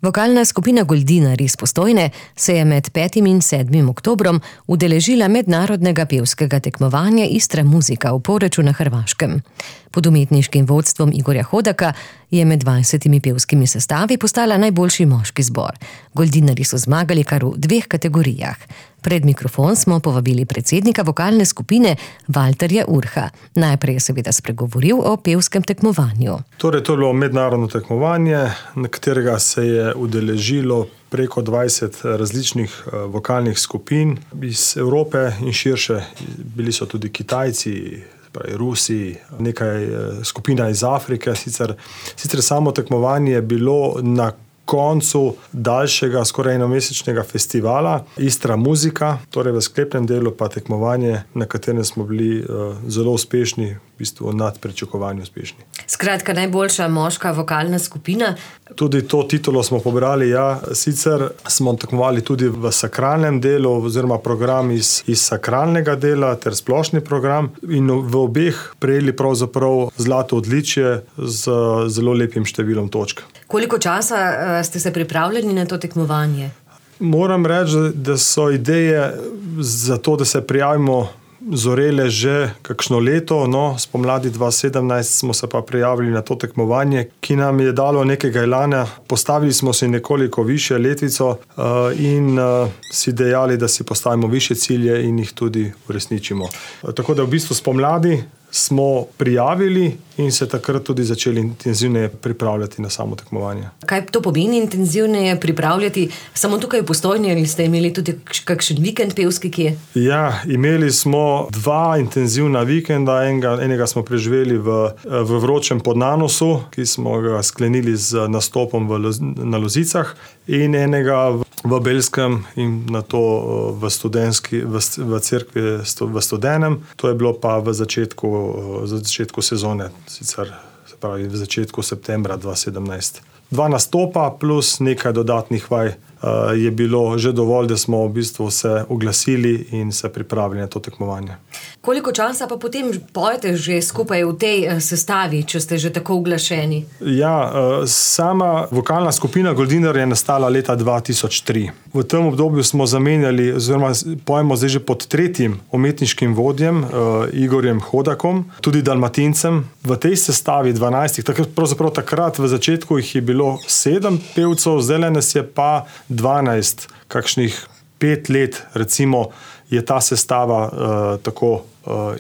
Vokalna skupina Goldinar iz Postojne se je med 5. in 7. oktobrom udeležila mednarodnega pevskega tekmovanja Istra Muzika v Poreču na Hrvaškem. Pod umetniškim vodstvom Igorja Hodaka je med 20 pevskimi sestavi postala najboljši moški zbor. Goldinarji so zmagali kar v 2 kategorijah. Pred mikrofon smo povabili predsednika vokalne skupine Valterja Urha. Najprej je seveda spregovoril o pevskem tekmovanju. Torej, to je bilo mednarodno tekmovanje, na katerega se je udeležilo preko 20 različnih vokalnih skupin iz Evrope in širše. Bili so tudi Kitajci, Rusi, nekaj skupina iz Afrike. Sicer samo tekmovanje je bilo na koncu daljšega, skoraj enomesečnega festivala Istra Muzika, torej v sklepnem delu pa tekmovanje, na katerem smo bili zelo uspešni, v bistvu nad pričakovanjem uspešni. Skratka, najboljša moška vokalna skupina. Tudi to titulo smo pobrali, ja. Sicer smo tekmovali tudi v sakralnem delu, oziroma program iz sakralnega dela ter splošni program in v obeh prejeli pravzaprav zlato odličje z zelo lepim številom točk. Koliko časa ste se pripravljeni na to tekmovanje? Moram reči, da so ideje za to, da se prijavimo, zorele že kakšno leto. Spomladi 2017 smo se pa prijavili na to tekmovanje, ki nam je dalo nekega elana. Postavili smo si nekoliko višje letvico in si dejali, da si postavimo višje cilje in jih tudi uresničimo. Tako da v bistvu spomladi smo prijavili in se takrat tudi začeli intenzivneje pripravljati na samo tekmovanje. Kaj to pomeni intenzivneje pripravljati? Samo tukaj v Postojni ali ste imeli tudi kakšen vikend pevski kje? Ja, imeli smo 2 intenzivna vikenda. Enega smo preživeli v vročem Podnanosu, ki smo ga sklenili z nastopom na Lozicah, in enega v Belskem in nato v cerkvi v Studenem. To je bilo pa v začetku sezone, sicer se pravi v začetku septembra 2017. 2 nastopa plus nekaj dodatnih vaj je bilo že dovolj, da smo v bistvu se oglasili in se pripravili na to tekmovanje. Koliko časa pa potem pojete že skupaj v tej sestavi, če ste že tako uglašeni? Ja, sama vokalna skupina Goldinar je nastala leta 2003. V tem obdobju smo zamenjali, oziroma pojemo zdaj že pod 3. umetniškim vodjem Igorjem Hodakom, tudi Dalmatincem. V tej sestavi 12, pravzaprav takrat v začetku jih je bilo 7 pevcev, zdaj nas je pa 12, kakšnih 5 let recimo je ta sestava tako.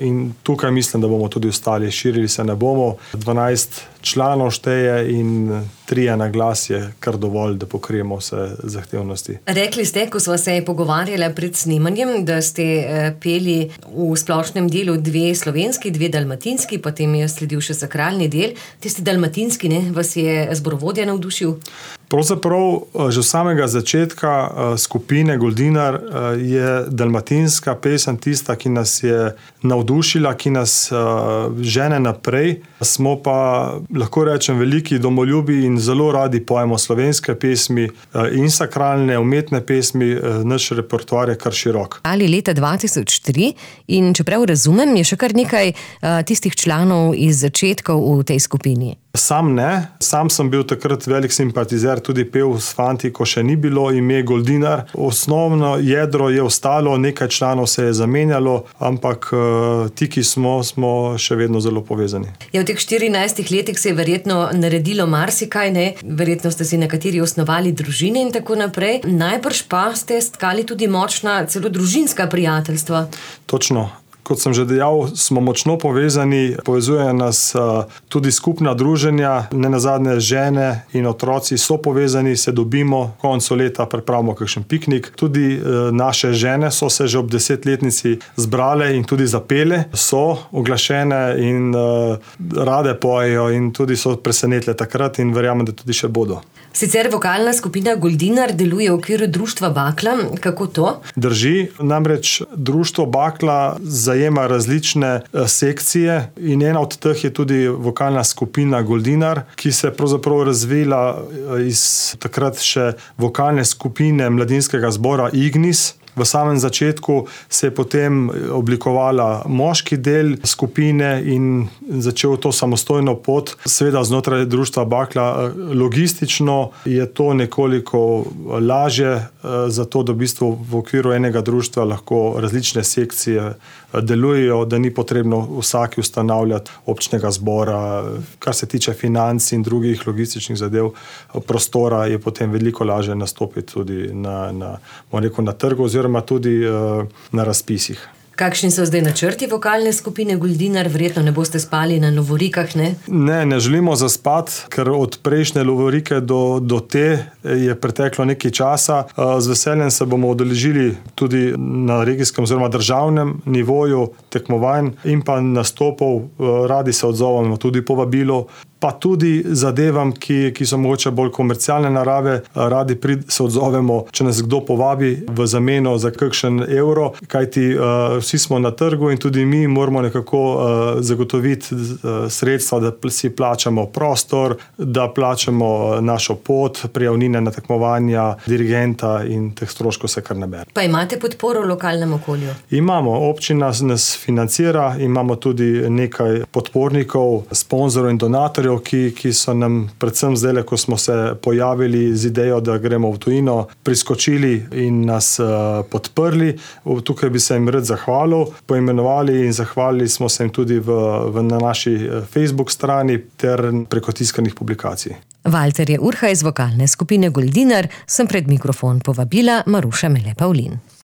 In tukaj mislim, da bomo tudi ostali, širili se ne bomo. 12 članov šteje in 3 na glas je kar dovolj, da pokrijemo vse zahtevnosti. Rekli ste, ko smo se pogovarjali pred snemanjem, da ste peli v splošnem delu 2 slovenski, 2 dalmatinski, potem je sledil še sakralni del. Tisti dalmatinski, vas je zborovodja navdušil? Pravzaprav že od samega začetka skupine Goldinar je dalmatinska pesem tista, ki nas je navdušila, ki nas žene naprej. Smo pa, lahko rečem, veliki domoljubi in zelo radi pojemo slovenske pesmi in sakralne, umetne pesmi. Naš repertoar je kar širok. Ali leta 2003 in čeprav razumem, je še kar nekaj tistih članov iz začetkov v tej skupini. Sam ne. Sam sem bil takrat velik simpatizer, tudi pel s fanti, ko še ni bilo ime Goldinar. Osnovno jedro je ostalo, nekaj članov se je zamenjalo, ampak ti, ki smo še vedno zelo povezani. Ja, v teh 14 letih se je verjetno naredilo marsikaj, ne? Verjetno ste si nekateri osnovali družine in tako naprej. Najbrž pa ste stkali tudi močna, celo družinska prijateljstva. Točno. Kot sem že dejal, smo močno povezani, povezujejo nas tudi skupna druženja, nenazadnje žene in otroci so povezani, se dobimo, koncu leta pripravimo kakšen piknik. Tudi naše žene so se že ob 10-letnici zbrale in tudi zapele, so oglašene in rade pojejo in tudi so presenetle takrat in verjamem, da tudi še bodo. Sicer vokalna skupina Goldinar deluje v okviru društva Bakla. Kako to? Drži, namreč društvo Bakla zajema različne sekcije in ena od teh je tudi vokalna skupina Goldinar, ki se je pravzaprav razvila iz takrat še vokalne skupine mladinskega zbora Ignis. V samem začetku se je potem oblikovala moški del skupine in začel to samostojno pot, seveda znotraj društva Bakla. Logistično je to nekoliko lažje, zato da v bistvu v okviru enega društva lahko različne sekcije delujejo, da ni potrebno vsaki ustanavljati občnega zbora. Kar se tiče financ in drugih logističnih zadev, prostora je potem veliko lažje nastopiti tudi na trgu oziroma tudi na razpisih. Kakšni so zdaj načrti vokalne skupine Goldinar? Verjetno ne boste spali na lovorikah, ne? Ne želimo zaspati, ker od prejšnje lovorike do te je preteklo nekaj časa. Z veseljem se bomo udeležili tudi na regijskem oziroma državnem nivoju tekmovanj in pa nastopov. Radi se odzovemo tudi povabilo, pa tudi zadevam, ki so mogoče bolj komercialne narave. Radi se odzovemo, če nas kdo povabi v zameno za kakšen evro, kajti vsi smo na trgu in tudi mi moramo nekako zagotoviti sredstva, da si plačamo prostor, da plačamo našo pot, prijavnine na tekmovanja, dirigenta in teh stroškov se kar nabere. Pa imate podporo v lokalnem okolju? Imamo, občina nas financira, imamo tudi nekaj podpornikov, sponzorov in donatorjev, ki so nam predvsem zdaj, ko smo se pojavili z idejo, da gremo v tujino, priskočili in nas podprli. Tukaj bi se jim rad zahvalil, poimenovali in zahvalili smo se jim tudi na naši Facebook strani ter preko tiskanih publikacij. Valter je Urha iz vokalne skupine Goldinar, sem pred mikrofon povabila Maruša Mele Pavlin.